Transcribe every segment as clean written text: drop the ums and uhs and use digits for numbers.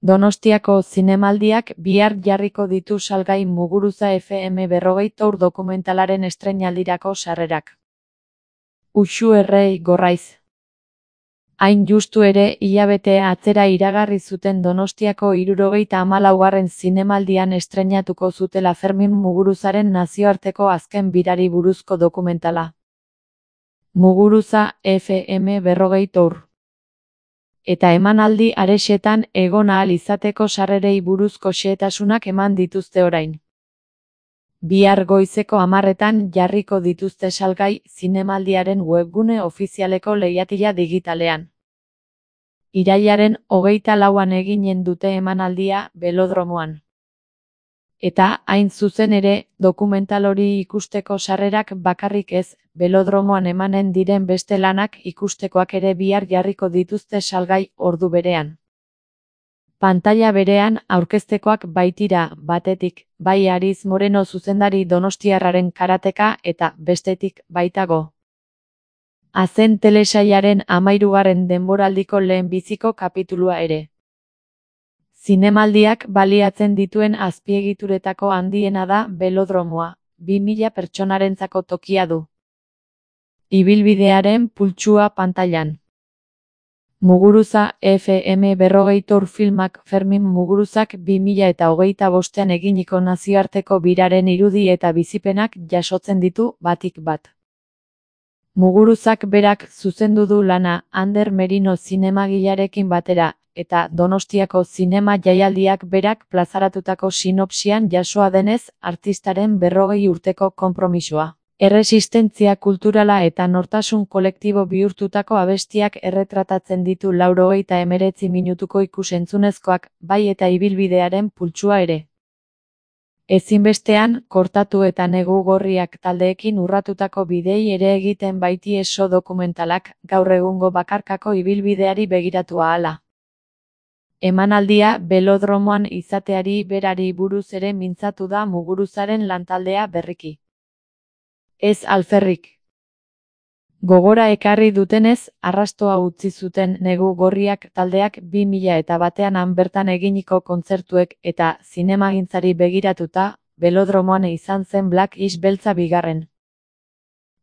Donostiako zinemaldiak bihar jarriko ditu salgai Muguruza FM 40 Tour dokumentalaren estreinaldirako sarrerak. Uxu Errei Gorraiz. Hain justu ere, hilabete atzera iragarri zuten Donostiako 74. zinemaldian estreinatuko zutela Fermin Muguruzaren nazioarteko azken birari buruzko dokumentala. Muguruza FM 40 Tour. Eta emanaldi arexetan egon ahal izateko sarrerei buruzko xehetasunak eman dituzte orain. Bihar goizeko 10:00 jarriko dituzte salgai zinemaldiaren webgune ofizialeko leihatila digitalean. Irailaren 24an eginen dute emanaldia Belodromoan. Eta, hain zuzen ere, dokumental hori ikusteko sarrerak bakarrik ez, Belodromoan emanen diren beste lanak ikustekoak ere bihar jarriko dituzte salgai ordu berean. Pantaila berean aurkeztekoak baitira, batetik, bai Ariz Moreno zuzendari donostiarraren karateka eta, bestetik, baitago. Azen telesailaren 13. denboraldiko lehenbiziko kapitulua ere. Zinemaldiak baliatzen dituen azpiegituretako handiena da Belodromoa, 2000 pertsonarentzako tokia du. Ibilbidearen pultsua pantailan. Muguruza FM 40 Tour filmak Fermin Muguruzak 2025an eginiko nazioarteko biraren irudi eta bizipenak jasotzen ditu batik bat. Muguruzak berak zuzendu du lana Ander Merino zinemagilearekin batera, eta Donostiako zinema jaialdiak berak plazaratutako sinopsian jasoa denez, artistaren 40 urteko konpromisoa. Erresistentzia kulturala eta nortasun kolektibo bihurtutako abestiak erretratatzen ditu 89 minutuko ikusentzunezkoak, bai eta ibilbidearen pultsua ere. Ezinbestean, kortatu eta negu gorriak taldeekin urratutako bidei ere egiten baiti eso dokumentalak, gaur egungo bakarkako ibilbideari begiratu ahala. Emanaldia Belodromoan izateari berari buruz ere mintzatu da Muguruzaren lantaldea berriki. Ez alferrik. Gogora ekarri dutenez, arrastoa utzi zuten negu gorriak taldeak 2001an han bertan eginiko kontzertuek eta zinemagintzari begiratuta, Belodromoan izan zen Black Is beltza bigarren.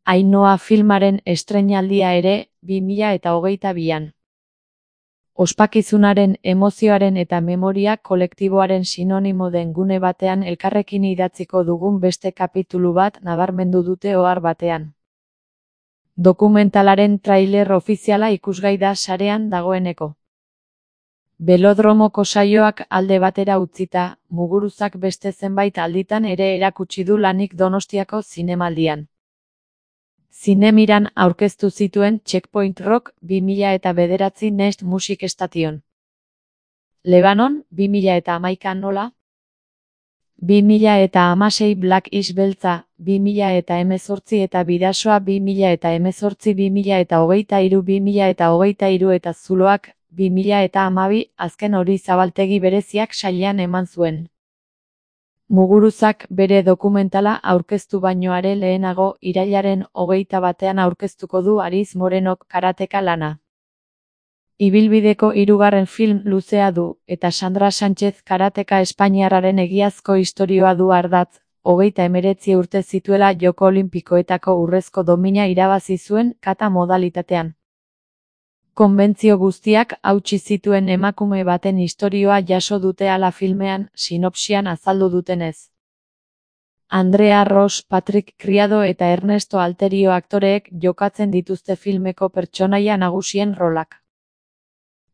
Ainhoa filmaren estreinaldia ere 2022an. Ospakizunaren, emozioaren eta memoria kolektiboaren sinonimo den gune batean elkarrekin idatziko dugun beste kapitulu bat nabarmendu dute ohar batean. Dokumentalaren trailer ofiziala ikusgai da sarean dagoeneko. Belodromoko saioak alde batera utzita, Muguruzak beste zenbait alditan ere erakutsi du lanik Donostiako zinemaldian. Zinemiran aurkeztu zituen Checkpoint Rock 2009 Nest Music Station. Lebanon 2011 nola? 2016 Black Is beltza, 2018 eta Bidasoa 2018, 2023, 2023 eta Zuloak 2012 azken hori zabaltegi bereziak sailean eman zuen. Muguruzak bere dokumentala aurkeztu baino are lehenago irailaren 21an aurkeztuko du Ariz Morenok karateka lana. Ibilbideko 3. film luzea du, eta Sandra Sánchez karateka espainiarraren egiazko istorioa du ardatz, 39 urte zituela Joko Olinpikoetako urrezko domina irabazi zuen kata modalitatean. Konbentzio guztiak hautsi zituen emakume baten istorioa jaso dute hala filmean, sinopsian azaldu dutenez. Andrea Ross, Patrick Criado eta Ernesto Alterio aktoreek jokatzen dituzte filmeko pertsonaia nagusien rolak.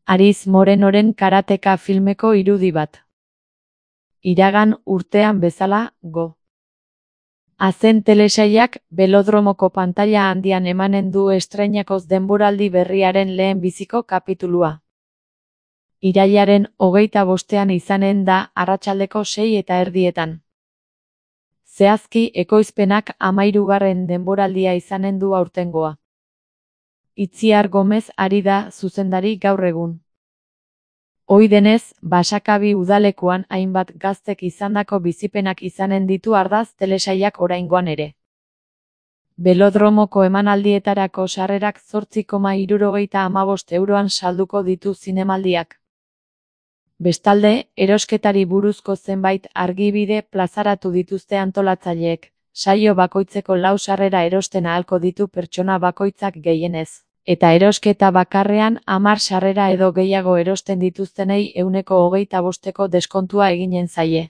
Ariz Morenoren karateka filmeko irudi bat. Iragan urtean bezala, go. Azen telesailak Belodromoko pantaila handian emanen du estreinakoz denboraldi berriaren lehen biziko kapitulua. Irailaren 25an izanen da arratsaldeko 6:30. Zehazki ekoizpenak 13. denboraldia izanen du aurtengoa. Itziar Gomez ari da zuzendari gaur egun. Ohi denez, Basakabi udalekuan hainbat gaztek izandako bizipenak izanen ditu ardaz telesailak oraingoan ere. Belodromoko emanaldietarako sarrerak 8,75 euroan salduko ditu zinemaldiak. Bestalde, erosketari buruzko zenbait argibide plazaratu dituzte antolatzaileek. Saio bakoitzeko 4 sarrera erosten ahalko ditu pertsona bakoitzak gehienez. Eta erosketa bakarrean 10 sarrera edo gehiago erosten dituztenei 25% deskontua eginen zaie.